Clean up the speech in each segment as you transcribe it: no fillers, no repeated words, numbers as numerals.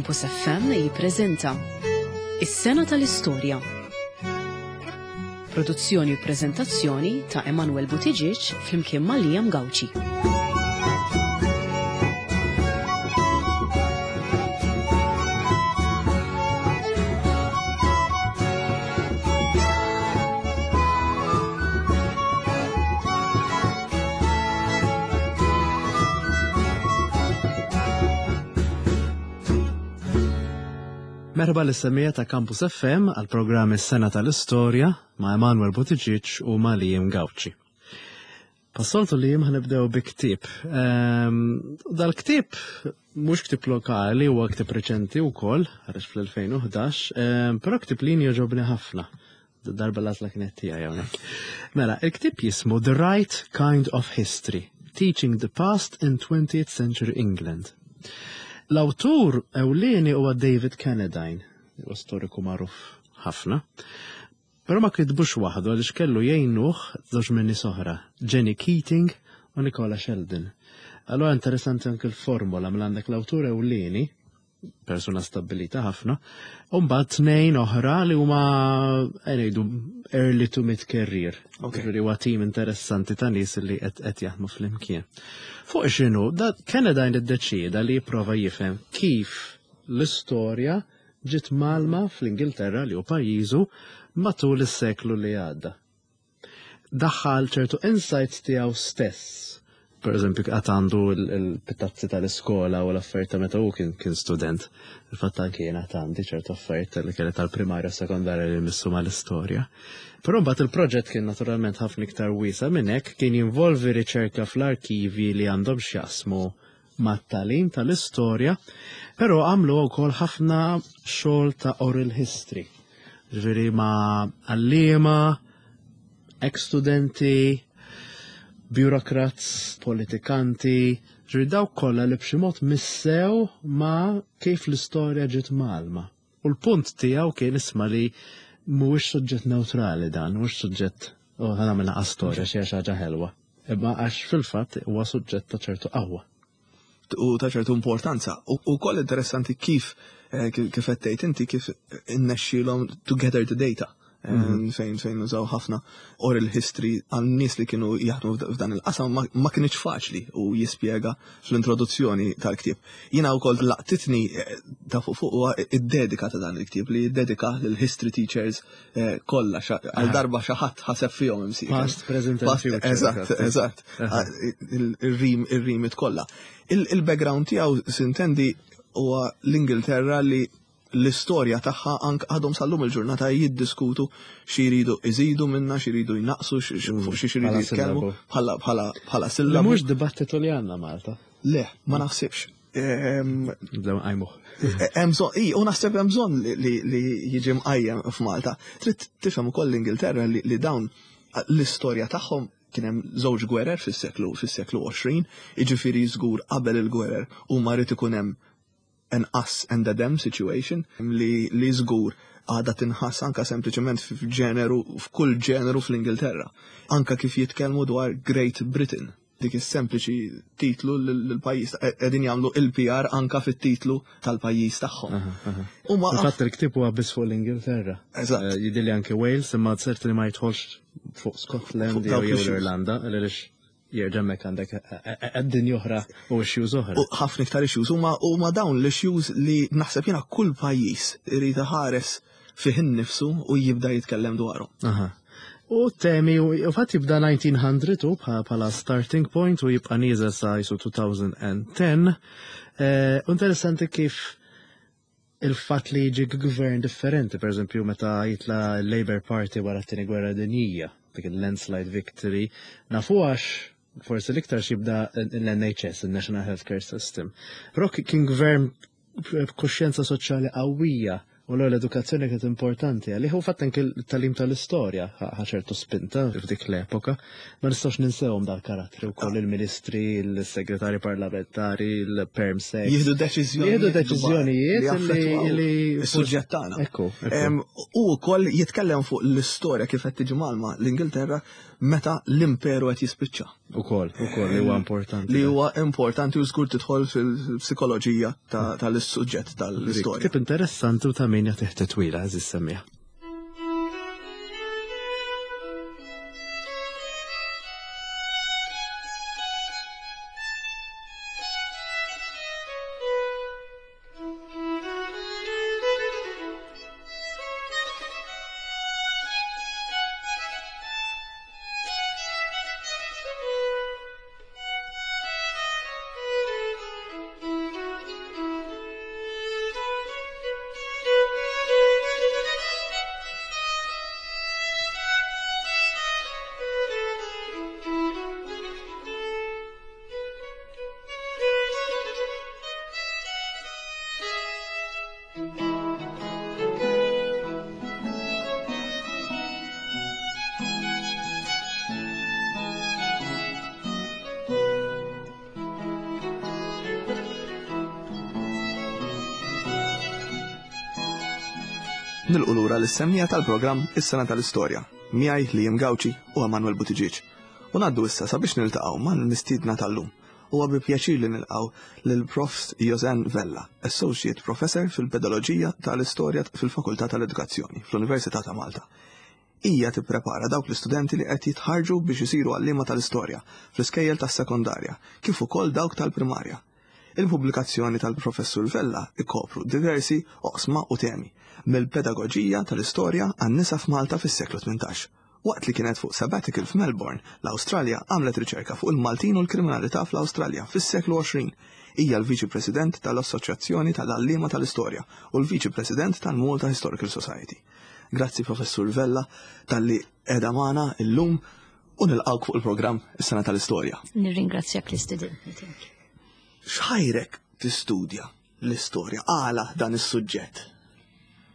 Campus FM jippreżenta Is-Sena tal-Istorja. Produzzjoni u preżentazzjoni ta' Emanuel Buttigieg flimkien ma' Liam Gauci. Merħba lis-semmiegħa ta' Campus FM għal programm Is-Sena tal-Istorja ma' Emanuel Buttigieg u ma' Liam Gauci. Passoltu li jim ħanibdew bi ktieb. Ehm, dal-ktieb mhux ktieb lokali, huwa ktieb reċenti wkoll, ħareġ fl-2011, ehm, però ktieb li jogħġobni ħafna. Darba l-għażla kienet tiegħi hawnhekk. Mela, il-ktieb jismu The Right Kind of History, Teaching the Past in 20th Century England. L-awtur ewlieni huwa David Cannadine, huwa storiku magħruf ħafna. Però ma kitbux waħdu għaliex kellu jgħinuh żewġ minn nies oħra, Jenny Keating u Nicola Sheldon. Allura interessanti anke l-formola mela għandek l-awtur ewlieni, persuna stabbilita ħafna, u mbagħad tnejn oħra li huma eh, ngħidu early to mid career. Ġifieri huwa tim interessanti ta' nies li qed jaħdmu flimkien. Fuq x'inhu, da Canada iddeċieda li jipprova jifhem kif l-istorja ġiet mgħallma fl-Ingilterra li hu pajjiżu matul is-seklu li għadda. Daħħal ċertu insights tiegħu stess. Per eżempju, għad għandu l-pitazzi tal-iskola u l-affarijiet ta' meta hu kien kien student. Il-fatt anke jien għad għandi ċertu affarijiet li kienet tal-primarja u sekondarja li jmissu mal-istorja. Però mbagħad il-proġett kien naturalment ħafna iktar wiesa' minn hekk, kien jinvolvi riċerka fl-arkivi li għandhom x'jaqsmu mat-tagħlim tal-istorja, però għamlu wkoll ħafna xogħol ta' oral history. Ġifieri ma' għalliema, ex-studenti, bureaucrats, politikanti, ġifieri dawk kollha li b'xi mod missew ma' kif l-istorja ġiet mgħallma. U l-punt tiegħu kien isma' li mhuwiex suġġett newtrali dan, mhuwiex suġġett u ħa nagħmel naqas storja xi ħaġa ħelwa. Imma għax fil-fatt huwa suġġett ta' ċertu qawwa. U ta' ċertu importanza. U koll interessanti kif eh, kif qed tgħid inti kif innexxielhom to gather the data. Eh, mhm. fejn fejn użaw ħafna oral history għal nies li kienu jaħdmu f'dan il-qasam ma kienx faċli u jispjega fl-introduzzjoni tal-ktieb. Jiena wkoll laqtitni eh, ta' fuq fuq huwa id-dedika ta' dan il-ktieb li jiddedika lil history teachers eh, kollha għal darba xi ħadd ħaseb fihom imsieħ. Past, present and future. Eżatt, eżatt. Ir-rim ir-rimit kollha. Il-background tiegħu sintendi huwa l-Ingilterra li l-istorja tagħha anke għadhom sal-lum il-ġurnata jiddiskutu xi jridu iżidu minna, xi jridu jnaqsu, fuq xi jridu jitkellmu bħala bħala bħala sillabu. Mhux dibattitu li għandna Malta. Le, ma naħsibx. Nibdew nqajmuh. Hemm bżonn, u naħseb hemm bżonn li jiġi mqajjem f'Malta. Trid tifhem ukoll l-Ingilterra li dawn l-istorja tagħhom kien hemm żewġ gwerer fis-seklu fis-seklu 20, jiġifieri żgur qabel il-gwerer huma rid ikun hemm an us and a them situation li li żgur għadha tinħass anka sempliċement f'ġeneru f'kull ġeneru fl-Ingilterra. Anka kif jitkellmu dwar Great Britain dik is-sempliċi titlu l-pajjiż qegħdin jagħmlu il-PR anka fit-titlu tal-pajjiż tagħhom. Huma Fatt il-ktieb huwa biss fuq l-Ingilterra. Eżatt. Eh, jidhirli anke Wales imma ċert li ma jidħolx fuq Scotland jew l-Irlanda għaliex Jerġa' hemmhekk għandek dinja oħra u issues oħra. U ħafna iktar issues huma huma dawn l-issues li naħseb jiena kull pajjiż irid iħares fih innifsu u jibda jitkellem dwarhom. Aha. U temi, u fatt jibda 1900 u bħala starting point u jibqa' nieżel sa jisu 2010. Eh, interessanti kif il-fatt li jiġi gvern differenti, per eżempju meta jitla l-Labour Party wara t-tieni gwerra dinjija, dik il-landslide victory, nafu għax forsi l-iktar xibda l-NHS, il-National Healthcare System. Però kien gvern b'kuxjenza soċjali qawwija u l-edukazzjoni kienet importanti għalih u fatt anke l-talim tal-istorja ħa ċertu spinta f'dik l-epoka. Ma nistgħux ninsewhom dal-karattri wkoll il-ministri, il-segretari parlamentari, il-perm sec. Jieħdu deċiżjonijiet. Jieħdu deċiżjonijiet li is-suġġett tagħna. Ekku. U wkoll jitkellem fuq l-istorja kif qed tiġi malma l-Ingilterra. meta l-imperu qed jispiċċa. Ukoll, ukoll li huwa importanti. Li huwa importanti u żgur tidħol fil-psikoloġija tal-suġġett tal-istorja. Ktieb interessanti u ta' min jagħtih titwila, eżis semmiha. Nilqu lura l-semmija tal-programm Is-Sena tal-Istorja, miegħi Liam Gauci u Emanuel Buttigieg. U ngħaddu issa sabiex niltaqgħu mal-mistiedna tal-lum. Huwa bi pjaċir li nilqgħu lil Prof. Josanne Vella, Associate Professor fil-Pedoloġija tal-Istorja fil-Fakultà tal-Edukazzjoni fl-Università ta' Malta. Hija tipprepara dawk l-istudenti li qed jitħarrġu biex isiru għalliema tal-istorja fl-iskejjel tas-sekondarja kif ukoll dawk tal-primarja. Il-pubblikazzjoni tal-Professur Vella jkopru diversi oqsma u temi, mill-pedagoġija tal-istorja għan-nisa f'Malta fis-seklu 18. Waqt li kienet fuq sabbatical f'Melbourne, l-Awstralja għamlet riċerka fuq il-Maltin u l-kriminalità fl-Awstralja fis-seklu 20. Hija l-Viċi President tal-Assoċjazzjoni tal-Għalliema tal-Istorja u l-Viċi President tal-Malta Historical Society. Grazzi Professur Vella talli qiegħda magħna illum u nilqgħuk fuq il-programm Is-Sena tal-Istorja. Nirringrazzjak l-istudentni tiegħek. X'ħajrek tistudja l-istorja? Għala dan is-suġġett?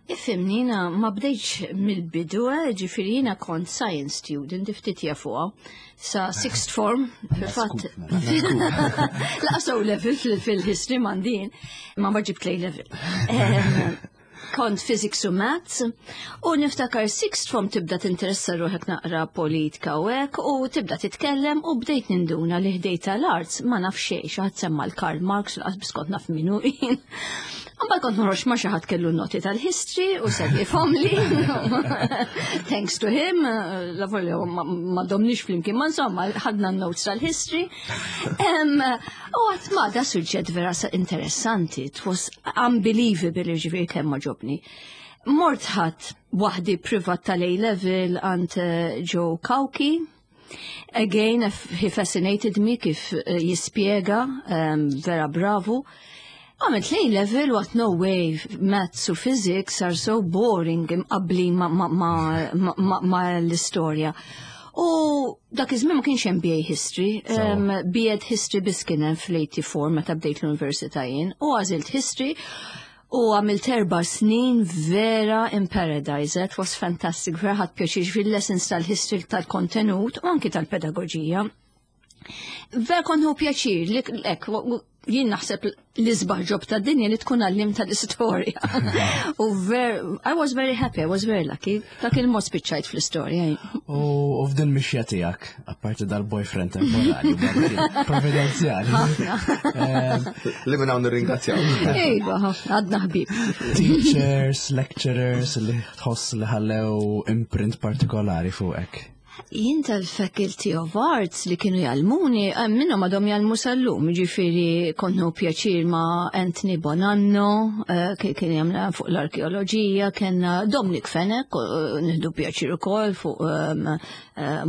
Ifhimni, jiena ma bdejtx mill-bidu, ġifieri jiena kont science student, ftit jafuha, sa sixth form, fil-fatt. Laqas O level fil-history m'għandin, ma ma ġibt A level. Kont physics u maths, u niftakar sixth form tibda tinteressa ruħek naqra politika u hekk, u tibda titkellem u bdejt ninduna li ħdejt tal-arts ma naf xejn, xi ħadd semma l-Karl Marx u laqas biss kont naf min hu jien. Mbagħad kont noħroġ ma' xi ħadd kellu n-noti tal-history u segwifhomli. Thanks to him, la volja ma domniex flimkien, ma insomma ħadna n-notes tal-history. U għat ma da suġġett vera interessanti, it was unbelievable ġifieri kemm ma ġobni. Mort ħadd waħdi privat tal-A level għand Joe Cauchi. Again, he fascinated me kif jispjega, vera bravu. Għamilt A level, what no way, maths u physics are so boring imqabbli ma l-istorja. U dak iż-żmien ma kienx hemm BA History, B.Ed History biss kien hemm fl-84 meta bdejt l-università jien, u għażilt History u għamilt 4 snin vera in paradise, it was fantastic, vera ħadt pjaċir fil-lessons tal-history tal-kontenut u anki tal-pedagoġija. Vera kont nieħu pjaċir li hekk, jien naħseb l-isbaħ ġob tad-dinja li tkun għallim tal-istorja. U I was very happy, I was very lucky. Dak il-mod spiċċajt fl-istorja. U f'din mixja tiegħek, apparti dal-boyfriend temporali, provvidenzjali. Ħafna. Li minn hawn nirringrazzjaw. Iva, ħafna, għadna ħbieb. Teachers, lecturers li tħoss li ħallew imprint partikolari fuqek. Jien tal-Faculty of Arts li kienu jgħallmuni, minnhom għadhom jgħallmu sal-lum, ġifieri kont nieħu pjaċir ma' Anthony Bonanno, kien jagħmel fuq l-arkeoloġija, kellna Dominic Fenech, nieħdu pjaċir ukoll fuq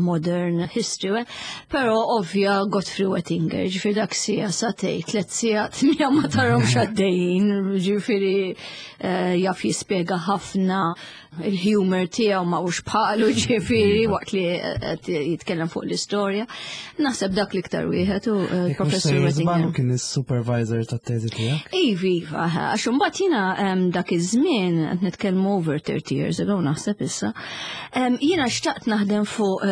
modern history, però ovvja Godfrey Wettinger, ġifieri dak sija satej, 3 sigħat mija ma tarhomx għaddejjin, ġifieri jaf jispjega ħafna il-humor tiegħu ma hux bħalu ġifieri waqt li qed jitkellem fuq l-istorja. Naħseb dak l-iktar wieħed u Jekk mhux Professur sejjer Wettinger. żball, kien is-supervisor tat-teżi tiegħek? Iva, iva, għax imbagħad jiena dak iż-żmien qed nitkellmu over 30 years ago naħseb issa. Jiena xtaqt naħdem fuq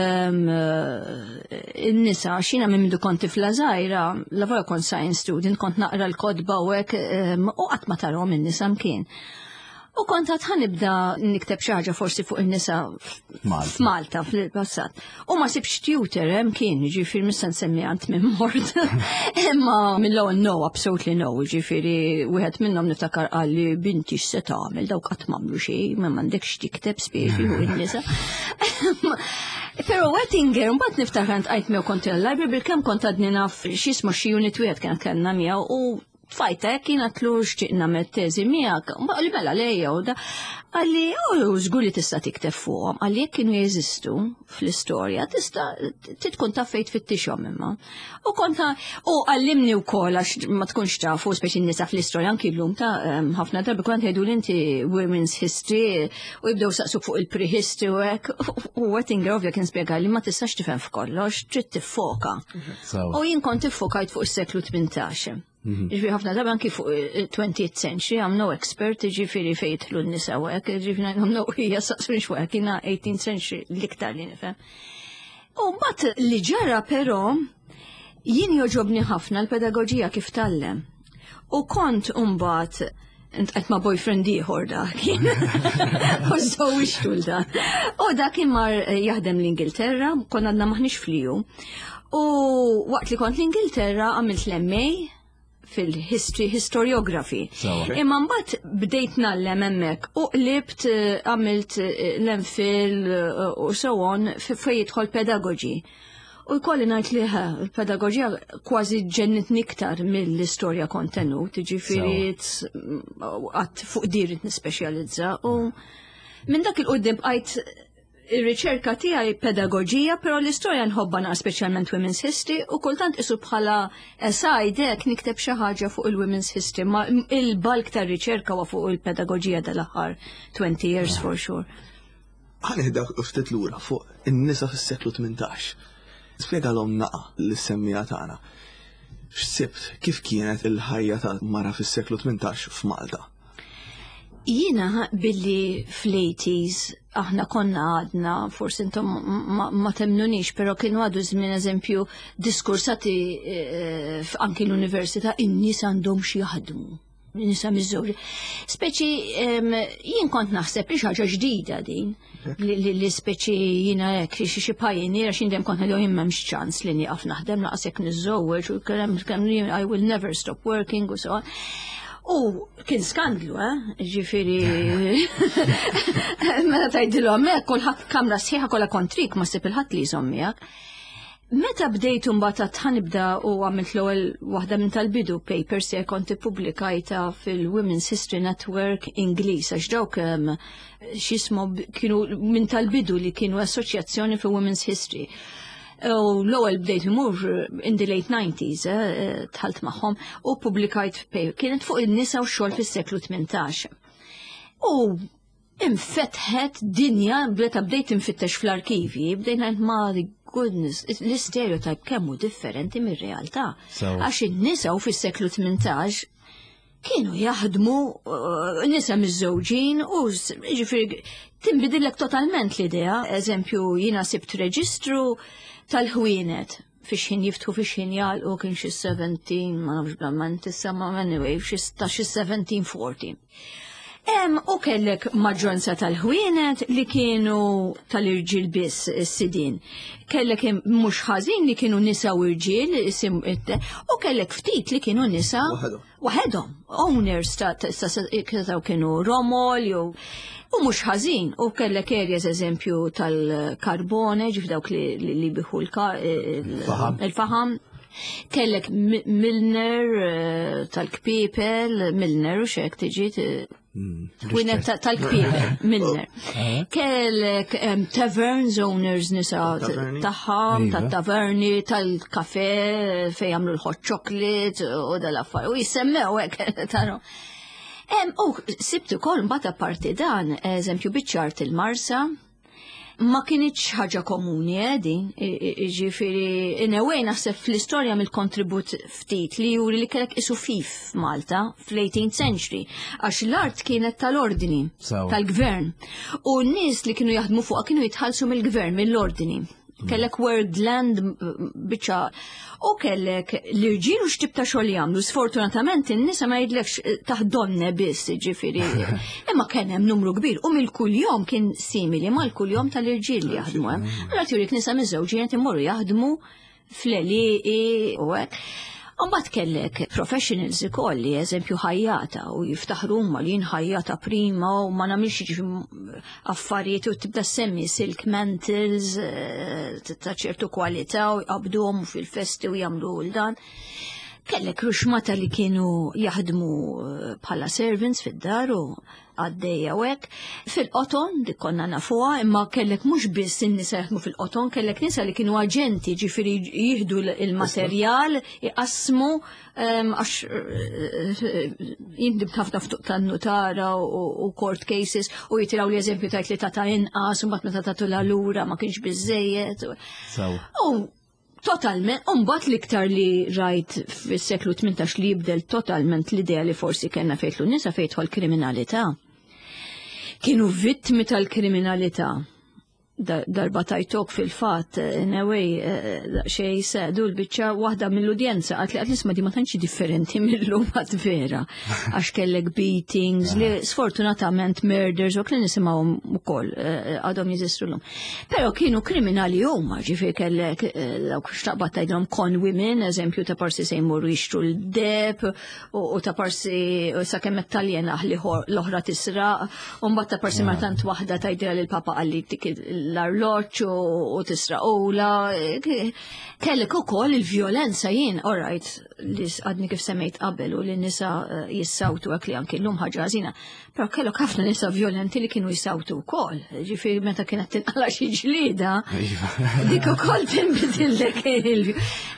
in-nisa għax jiena minn mindu kont tifla żgħira, la volja kont science student, kont naqra l-kotba u hekk u qatt ma tarhom in-nisa mkien. U kont għad ħanibda nikteb xi ħaġa forsi fuq in-nisa f'Malta fil-passat. U ma sibx tutor hemm kien, ġifieri mista nsemmi għand minn mort. Imma mill-ewwel no, absolutely no, ġifieri wieħed minnhom niftakar qal li binti x'se tagħmel dawk qatt m'għamlu xejn, ma m'għandekx tikteb spiex fuq in-nisa. Però Wettinger, mbagħad niftakar ntqajt miegħu kont il-library bil-kemm kont għadni naf x'jismu xi unit wieħed kien kellna miegħu u Tfajta hekk jien għatlu xtieq nagħmel teżi miegħek, li mela lejja u da. Qalli, u żgur li tista' tikteb fuqhom, qalli jekk kienu jeżistu fl-istorja tista' tkun taf fejn tfittixhom imma. U konta u għallimni wkoll għax ma tkunx tafu speċi nisa fl-istorja anki llum ta' ħafna drabi kont jgħidu inti women's history u jibdew saqsuk fuq il-prehistory u hekk. U Wettinger ovvja kien spjega li ma tistax tifhem f'kollox, trid tiffoka. U jien kont iffokajt fuq is-seklu 18. Mhm. Ġifieri ħafna drabi anki fuq 20th century, I'm no expert, ġifieri fejn jidħlu n-nisa u hekk, ġifieri I'm no hija saqsuni xwek, jiena 18th century l-iktar li nifhem. U mbagħad li ġara però jien joġobni ħafna l-pedagoġija kif tallem. U kont mbagħad Intqajt ma' boyfriend ieħor dak. U żewġtu l dan. U dak kien mar eh, jaħdem l-Ingilterra, konna għadna maħniex fliju. U waqt li kont l-Ingilterra għamilt l-MA fil-history, historiography. Imma mbagħad bdejt nallem hemmhekk u qlibt eh, għamilt eh, l-MPhil u so on fejn jidħol pedagogy. U jkolli ngħid li il-pedagoġija kważi ġennitni iktar mill-istorja kontenut, ġifieri qatt fuq dirit nispeċjalizza u minn dak il-qudiem bqajt ir-riċerka tiegħi pedagoġija, però l-istorja nħobba naqra speċjalment women's history u kultant isu bħala aside hekk nikteb xi ħaġa fuq il-women's history, ma il-bulk tar-riċerka huwa fuq il-pedagoġija dal-aħħar 20 years for sure. Ħa nieħdek ftit lura fuq in-nisa fis-seklu 18. Spjegalhom naqa lis-semmiegħa tagħna. X'sibt, kif kienet il-ħajja ta' mara fis-seklu 18 f'Malta? Jiena billi fl-80s aħna konna għadna, forsi intom ma, ma temnunix, pero kienu għadu żmien eżempju diskursati eh, anki l-università in-nies għandhom xi jaħdmu nisa miżżewġa. Speċi jien kont naħseb li ħaġa ġdida din li speċi jiena hekk xi xi pioneer għax jien kont ngħidu jien m'hemmx ċans li nieqaf naħdem laqas jekk niżżewweġ u kemm kemm I will never stop working u so on. U kien skandlu, eh? Ġifieri meta tgħidilhom hekk kulħadd kamra sħiħa kollha kontrik ma ssib il-ħadd li jżomm miegħek. Meta bdejt imbagħad għad ħanibda u għamilt l-ewwel waħda minn tal-bidu papers se kont ippubblikajta fil-Women's History Network Ingliż għax dawk x'jismu kienu minn tal-bidu li kienu assoċjazzjoni fi Women's History. U l-ewwel bdejt imur in the late 90s, eh, dħalt magħhom u ppubblikajt paper kienet fuq in-nisa u x-xogħol fis-seklu 18. U infetħet dinja meta bdejt infittex fl-arkivi, bdejt ngħid ma goodness, l-istereotype kemm hu differenti mir-realtà. Għax in-nisa u fis-seklu 18 kienu jaħdmu uh, nisa miż-żewġin u ġifieri tinbidillek totalment l-idea. Eżempju, jiena sibt reġistru tal-ħwienet fix ħin jiftħu fix ħin jgħalqu kien xi 17, ma nafx blamment issa ma anyway, xi ta' xi 1740. Em, u kellek maġġoranza tal-ħwienet li kienu tal-irġiel biss is-sidien. Kellek mhux ħażin li kienu nisa u irġiel, u kellek ftit li kienu nisa waħedhom, owners ta' ta' kienu romol jew u mhux ħażin u kellek areas eżempju tal-karbone, ġif dawk li li biħu il-faham. Kellek Milner eh, tal-kpipel, Milner u xek tiġi Wienet tal-kpipel, Milner. Eh? Kellek taverns owners nisa tagħhom, iva. tat-taverni, tal-kafe fejn jagħmlu l-hot chocolate u dal-affar. U jissemmew hekk taraw. U sibt ukoll mbagħad apparti dan, eżempju biċ-ċart il-Marsa, Ma kinitx ħaġa komuni eh, din, ġifieri in a way naħseb fl-istorja mill-kontribut ftit li juri li kellek isu fif f'Malta fl-18th century, għax l-art kienet tal-ordni, tal-gvern. U n-nies li kienu jaħdmu fuqha kienu jitħallsu mill-gvern, mill-ordni. Kellek Wordland biċċa u kellek l-irġiel u x'tip ta' xogħol jagħmlu. Sfortunatament in-nisa ma jidlekx eh, taħdonne biss, ġifieri. Imma kien hemm numru kbir u mill-kuljom kien simili mal-kuljom tal-irġiel li jaħdmu hemm. Allura turik nisa miżewġin qed imorru jaħdmu fl-għelieqi u hekk. Mbagħad kellek professionals ukoll li eżempju ħajjata u jiftaħru huma li jien ħajjata prima u ma nagħmilx jiġifieri affarijiet u tibda semmi silk mantles eh, ta' ċertu kwalità u jqabduhom fil-festi u jagħmlu l dan. Kellek ruxmata li kienu jaħdmu eh, bħala servants fid-dar u għaddejja u hekk. Fil-qoton, dik konna nafuha, imma kellek mhux biss in-nisa jaħdmu fil-qoton, kellek nisa li kienu aġenti, ġifieri jieħdu il-materjal, iqassmu għax eh, jindibt ħafna ftuq tan-nutara u court cases u jitiraw li eżempju tajt li tata inqas u mbagħad meta tagħtu lura ma kienx biżejjed. U Totalment, umbat l-iktar li rajt fis-seklu 18 li jibdel totalment l-idea li forsi kellna fejtlu nisa fejtħol kriminalità. Kienu vittmi tal-kriminalità. Darba tajtok fil-fat, in a way, eh, xej sedu l-bicċa waħda mill-udjenza, għat li għat nisma di ma tantx differenti mill-lum għat vera. Għax kellek beatings, li sfortunatament murders, u kien nisimgħu ukoll eh, għadhom jeżistu l-lum. Pero kienu kriminali huma, ġifieri kellek eh, dawk xtaqbad tgħidhom con women, eżempju ta' parsi se jmorru jixtru l-deb u ta' parsi sakemm qed taljena li l-oħra tisraq, u mbagħad ta' parsi ma tant waħda tgħidilha lil papa qalli dik l-arloġġ u tisraqula. Kellek ukoll il-vjolenza jien, all right, li għadni kif semmejt qabel u li nisa eh, jissawtu hekk li anki llum ħaġa ħażina, Però kellok ħafna nisa vjolenti li kienu jisawtu wkoll. Ġifieri meta kienet tinqala xi ġlieda, iva. dik ukoll tinbidillek il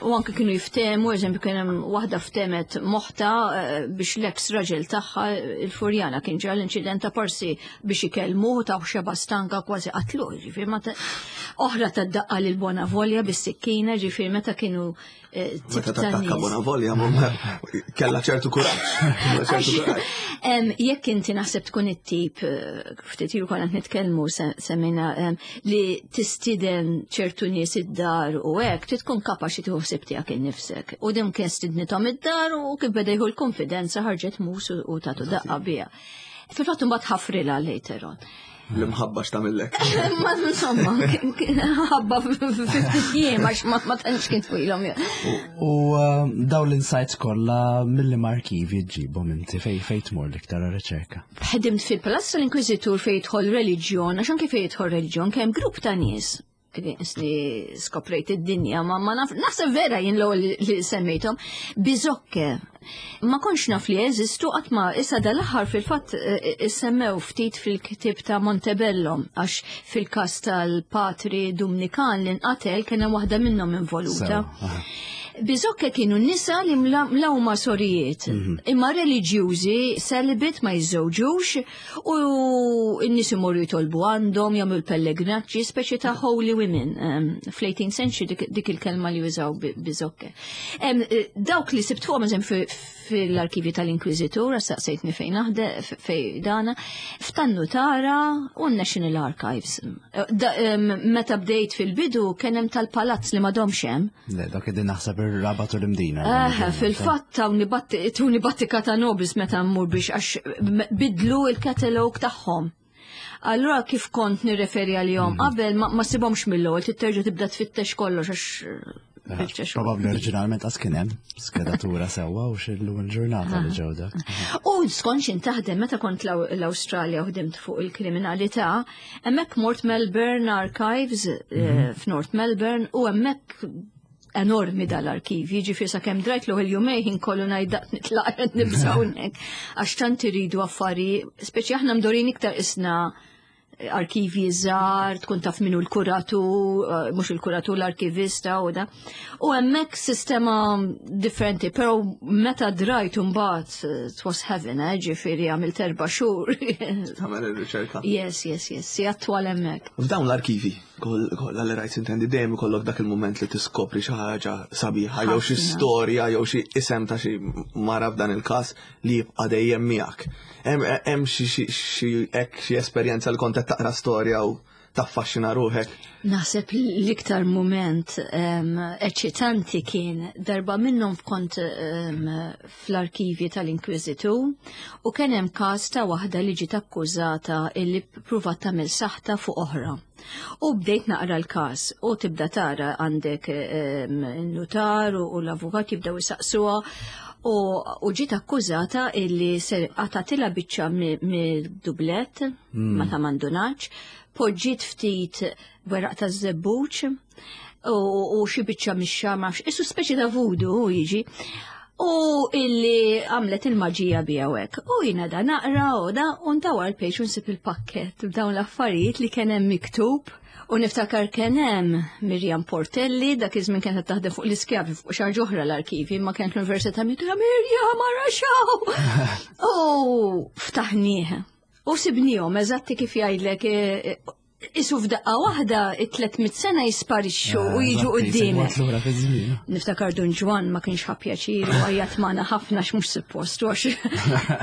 U anke kienu jiftehmu, eżempju kien hemm waħda ftemet moħta eh, biex l-eks raġel tagħha il-Furjana kien ġara l-inċident ta' parsi biex ikellmu ta' xeba stanka kważi qatlu. Ġifieri ma oħra ta' daqqa lil Bona Volja bis-sikkina, ġifieri meta kienu Eh, Meta tattakka bona volja, kella ċertu kuraġġ. Jekk inti naħseb tkun it-tip, eh, ftit ilu konna nitkellmu semmejna li tistiden ċertu nies id-dar u hekk, trid tkun kapaċi tieħu ħsieb tiegħek innifsek. U din kien stidnithom id-dar u kif beda jieħu l-konfidenza ħarġet mus u tagħtu daqqa biha. Fil-fatt imbagħad ħafrilha later on. L-imħabba x'tagħmillek. Ma insomma, ħabba ftit jiem għax ma tantx kien twilhom. U um, daw l-insights kollha mill arkivi ġibhom inti fej fej tmur l-iktar riċerka. Ħedimt fil-Palazz tal-Inkwiżitur fejn jidħol reliġjon, għax anke fejn jidħol reliġjon kemm grupp ta' nies li skoprejt id-dinja, ma ma naf, naħseb vera jien l-ewwel li semmejthom, biżokke. Ma kontx naf li jeżistu qatt ma issa dal-aħħar fil-fatt eh, eh, semmew ftit fil-ktib ta' Montebello għax fil-każ tal-patri Dumnikan li nqatel kien hemm waħda minnhom involuta. Biżokke kienu nisa li mlawma sorijiet, mhm. imma reliġjużi celibate ma jiżżewġux U n-nies imorru jitolbu għandhom, jagħmlu l-pellegrinaġġi, speċi ta' holy women. Fl-18th century dik il-kelma li jużaw biżokke. Eh, dawk li sibt fuqhom eżempju fil-arkivi tal-Inkwiżitur, saqsejtni fejn naħde, fej dana, f'tannu tara u National Archives. Eh, meta bdejt fil-bidu kien hemm tal-palazz li m'għadhomx hemm. Le, dak id naħseb ir-rabat u l-imdina. Eh, fil-fatt tawni battika ta' nobis meta mmur biex għax bidlu il-katalog tagħhom. Allura kif kont nirreferi għalihom mhm. qabel ma sibhomx mill-ewwel titterġa' tibda tfittex kollox għax eh, Probabli oriġinalment għas kien hemm skedatura sewwa u xillu l-ġurnata li ġew dak. U skont x'in taħdem meta kont l-Awstralja u ħdimt fuq il-kriminalità, Hemmhekk mort Melbourne Archives eh, mhm. f'North Melbourne u hemmhekk enormi dal-arkiv, jiġifieri sakemm drajt l jumej ħin kollu ngħid nitlaq nibża' hawnhekk għax tant iridu affari, speċi aħna mdorin iktar isna arkivi żgħar, tkun taf minu l-kuratu, eh, mhux il-kuratu l-arkivista u da. U hemmhekk sistema differenti, però meta drajt imbagħad eh, it was heaven, eh, ġifieri għamilt erba' xhur. Tagħmel ir-riċerka. Yes, yes, yes, si attwal hemmhekk. F'dawn l-arkivi, kollha li rajt intendi dejjem ikollok dak il-mument li tiskopri xi ħaġa sabiħa jew xi storja jew xi isem ta' xi mara f'dan il-każ li jibqa' dejjem miegħek. Hemm xi hekk xi esperjenza li kont qed taqra storja u Taffaxxina ruħek? Naħseb l-iktar mument eċitanti kien darba minnhom kont fl-arkivi tal-Inkwiżitu u kien hemm każ ta' waħda li ġiet akkużata illi pruvat tagħmel saħta fuq oħra. U bdejt naqra l-każ u tibda tara għandek nutar u l-avukat jibdew isaqsuha u ġiet akkużata illi ser qatatilha biċċa mid-dublet ma ta' mandunaċ, poġġiet ftit weraq ta' żebbuġ u xi biċċa mix-xagħar ma nafx, isu speċi ta' voodoo jiġi. U illi għamlet il-maġija bija u hekk. U jiena da naqra u da u ndawar l-page u nsib il-pakket b'dawn l-affarijiet li kien hemm miktub. U niftakar kien hemm Miriam Portelli, dak iż-żmien kienet taħdem fuq l-iskjavi fuq xi ħaġa oħra l-arkivi, imma kienet l-Università Miriam, Miriam ara xaw! U ftaħnieh. U sibnihom eżatti kif jgħidlek eh, eh, isu f'daqqa waħda it-300 sena jisparixxu u jiġu qudiemek. Niftakar Dun Ġwan ma kienx ħa pjaċir u għajjat magħna ħafna x'mhux suppost għax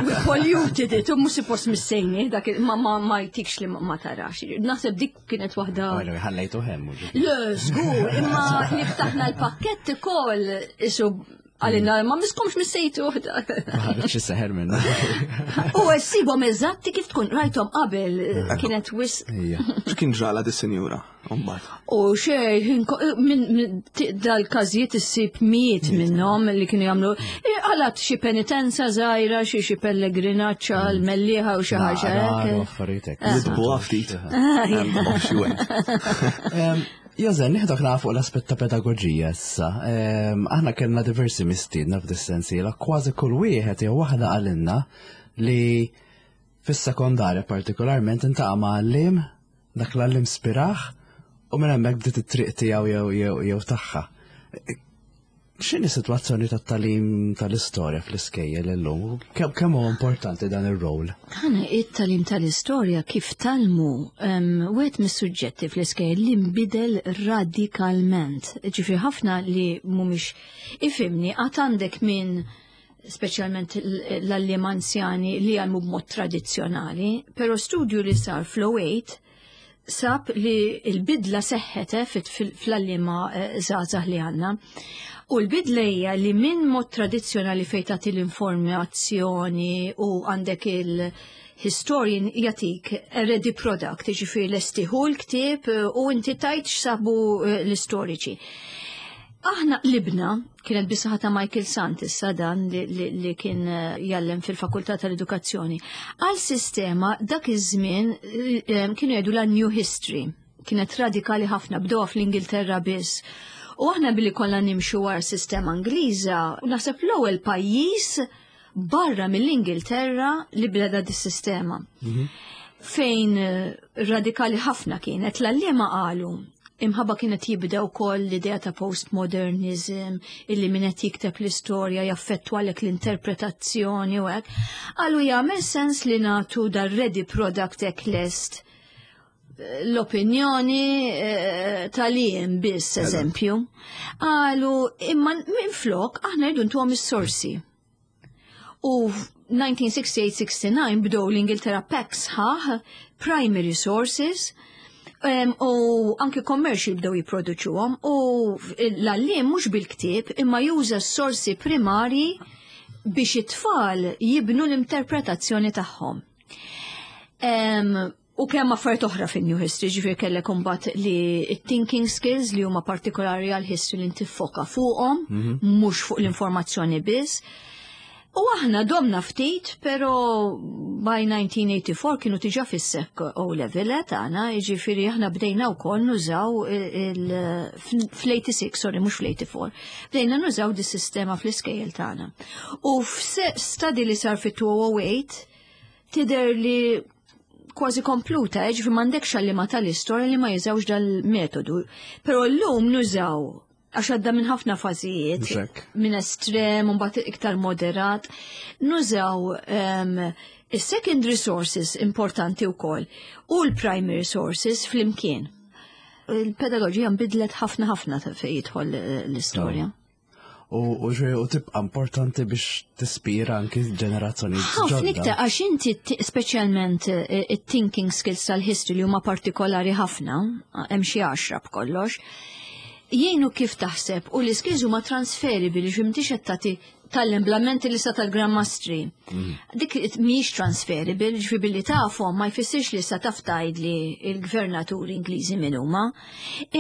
we polluted it u mhux suppost missejni dak ma ma ma jtikx li ma tarax. Naħseb dik kienet waħda. Ħallejtu hemm. Le, żgur, imma li ftaħna l-pakkett ukoll isu Għalina, ma miskomx missejtu. Ħarġ seħer minna. U sibhom eżatti kif tkun rajthom qabel kienet wis. X'kien ġrala dis-sinjura? U xej, minn dal-każijiet issib miet minnhom li kienu jagħmlu għalat xi penitenza żgħira, xi xi pellegrinaġġ għal mellieħa u xi ħaġa hekk. Nidbu ftit. Joże, nieħdok naqra fuq l-aspett ta' pedagoġija issa. Aħna kellna diversi mistiedna f'dis-sensiela, kważi kull wieħed jew waħda qalilna li fis-sekondarja partikolarment intaqa' ma' għalliem, dak l-għalliem spirah u minn hemmhekk bdiet it-triq tiegħu jew jew jew tagħha. X'inhi s-sitwazzjoni tat-tagħlim tal-istorja fl-iskejjel illum? Kemm huwa importanti dan ir-rol? Ħana it-tagħlim tal-istorja kif talmu wieħed mis-suġġetti fl-iskejjel li nbidel radikalment. Ġifieri ħafna li mhumiex ifhimni għad għandek min speċjalment l-għalliem anzjani li jgħallmu b'mod tradizzjonali, però studju li sar fl-08 sab li l-bidla seħħet eh, fl-għalliema eh, żgħażagħ li għandna. U l-bidla hija li minn mod tradizzjonali fejn tagħti l-informazzjoni u għandek il-historian jagħtik ready product, jiġifieri lestiħu l-ktieb eh, u inti tajt x'sabu l-istoriċi. Aħna qlibna, kienet bisaħa ta' Michael Sant issa dan li, li, li kien eh, jallem fil-Fakultà tal-Edukazzjoni, għal sistema dak iż-żmien eh, kienu jgħidu la New History. Kienet radikali ħafna, bdewha fl-Ingilterra biss. U aħna billi kollha nimxu wara sistema Ingliża, naħseb l-ewwel pajjiż barra mill-Ingilterra li beda dis-sistema. Mhm. Fejn eh, radikali ħafna kienet, l-għalliema qalu imħabba kienet jibda wkoll l-idea ta' postmodernism, illi min qed jikteb l-istorja jaffettwa lek l-interpretazzjoni u hekk. Qalu jagħmel sens li nagħtu dar ready product hekk lest l-opinjoni eh, tal-jiem biss, eżempju. Qalu imma minflok aħna rridu ntuhom is-sorsi. U 1968-69 bdew l-Ingilterra pack sħaħ primary sources u anke commercial bdew jipproduċuhom u l-għalliem mhux bil-ktieb imma juża s-sorsi primari biex it-tfal jibnu l-interpretazzjoni tagħhom. U kemm affarijiet oħra fin-New History, ġifier kellek imbagħad li thinking skills li huma partikolari għal history li ntiffoka fuqhom, mhm. mhux fuq l-informazzjoni biss. U aħna domna ftit, pero by 1984 kienu tiġa fis-sek O level eh, tagħna, jiġifieri aħna bdejna wkoll nużaw fl-86, sorry, mhux fl-84. Bdejna nużaw di sistema fl-iskejjel tagħna. U f'study li sar fit-2008 tidher li kważi kompluta, eh, ġifi m'għandekx għallima tal-istorja li ma jużawx dal-metodu. Però llum nużaw għax għadda minn ħafna fażijiet, minn estrem, u mbagħad iktar moderat, nużaw um, is-secondary sources importanti wkoll u l-primary sources flimkien. Il-pedagogija nbidlet ħafna ħafna fejn jidħol eh, l-istorja. U u tibqa' importanti biex tispira anki ġenerazzjoni Ħafna iktar għax inti speċjalment eh, it-thinking skills tal-history li huma partikolari ħafna, hemm xi għaxra b'kollox, jgħinu kif taħseb u l-iskills huma transferibili ġimtix qed tagħti tallem blamenti li sa tal-Grand Mastri. Mm. Dik mhijiex transferable, ġifi billi tafhom ma jfissirx li sa taf tgħidli il-gvernatur Ingliżi min huma.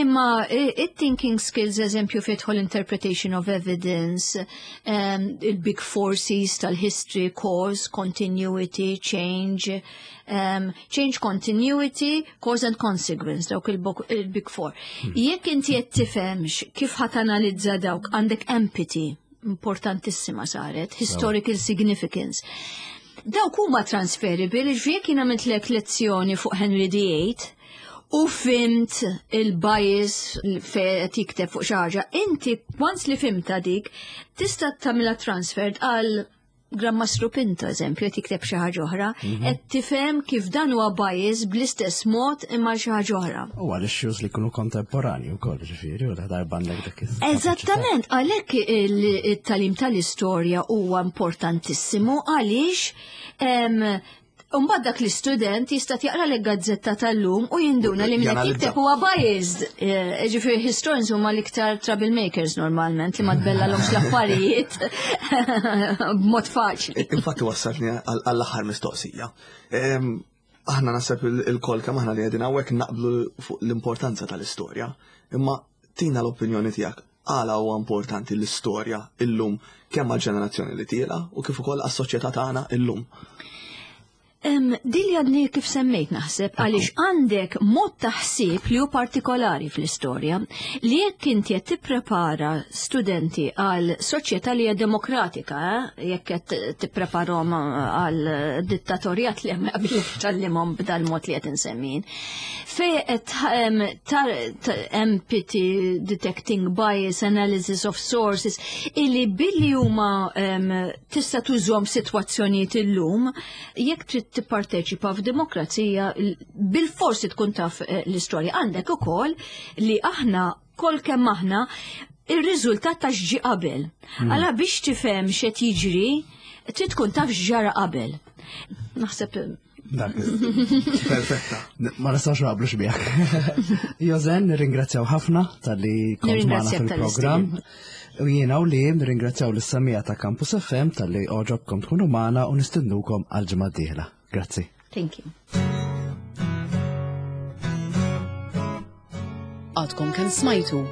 Imma it-thinking skills eżempju fidħol interpretation of evidence, um, il-big forces tal-history, cause, continuity, change, um, change continuity, cause and consequence, dawk il-big four. Hmm. Jekk inti qed tifhemx kif ħat analizza dawk għandek empathy importantissima saret, historical significance. Dawk huma transferable, ġifieri jekk jien għamilt lezzjoni fuq Henry VIII, u fimt il-bias fe tikteb fuq xi ħaġa, inti once li fimta dik, tista' tagħmilha transferred għal Gran Mastru Pinto, eżempju, qed jikteb xi ħaġa oħra, mhm. qed tifhem kif dan huwa bias bl-istess mod imma xi ħaġa oħra. U għal issues li jkunu kontemporani wkoll, ġifieri, u darba għandek dak Eżattament, għalhekk it-talim tal-istorja huwa importantissimu għaliex Umbad dak l-istudent jista' jaqra l gazzetta tal-lum u jinduna li min qed jikteb huwa biased. Eh, ġifieri historians huma l-iktar troublemakers normalment li ma tbellalhomx l-affarijiet b'mod faċli. Infatti wassalni għall-aħħar mistoqsija. Aħna naħseb il-kol kemm aħna li qegħdin hawnhekk naqblu fuq l-importanza tal-istorja, imma tina l-opinjoni tiegħek għala huwa importanti l-istorja illum kemm għall-ġenerazzjoni li tiela u kif ukoll għas-soċjetà tagħna illum. Din li għadni kif semmejt naħseb għaliex għandek mod ta' ħsieb li hu partikolari fl-istorja li jekk inti qed tipprepara studenti għal soċjetà li hija demokratika, eh, jekk qed tippreparhom għal dittatorjat li hemm qabel tgħallimhom b'dal-mod li qed insemmin. Fej qed empathy, detecting bias, analysis of sources, illi billi huma tista' tużhom sitwazzjonijiet illum, jekk trid tipparteċipa f'demokrazija bil-forsi tkun taf eh, l-istorja. Għandek ukoll li aħna kol kemm aħna ir-riżultat ta' x'ġi qabel. Hmm. Għala biex tifhem x'qed jiġri, trid tkun taf x'ġara qabel. Naħseb Dak. Perfetta. Ma nistax naqblux miegħek. Jozen, nirringrazzjaw ħafna tal-li kont magħna fil-programm. U jiena u li nirringrazzjaw lis-samija ta' Campus FM tal-li oġobkom tkunu magħna u nistednukom għal ġimgħa d-dieħla. Grazzi. Thank you. Għadkom kemm smajtu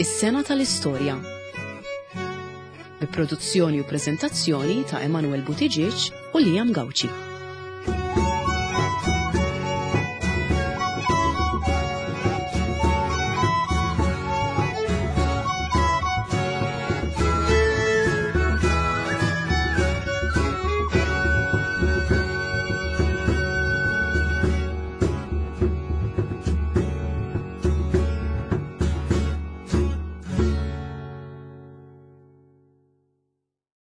Is-sena tal-istorja. Bi produzzjoni u preżentazzjoni ta' Emanuel Buttigieg u Liam Gauci.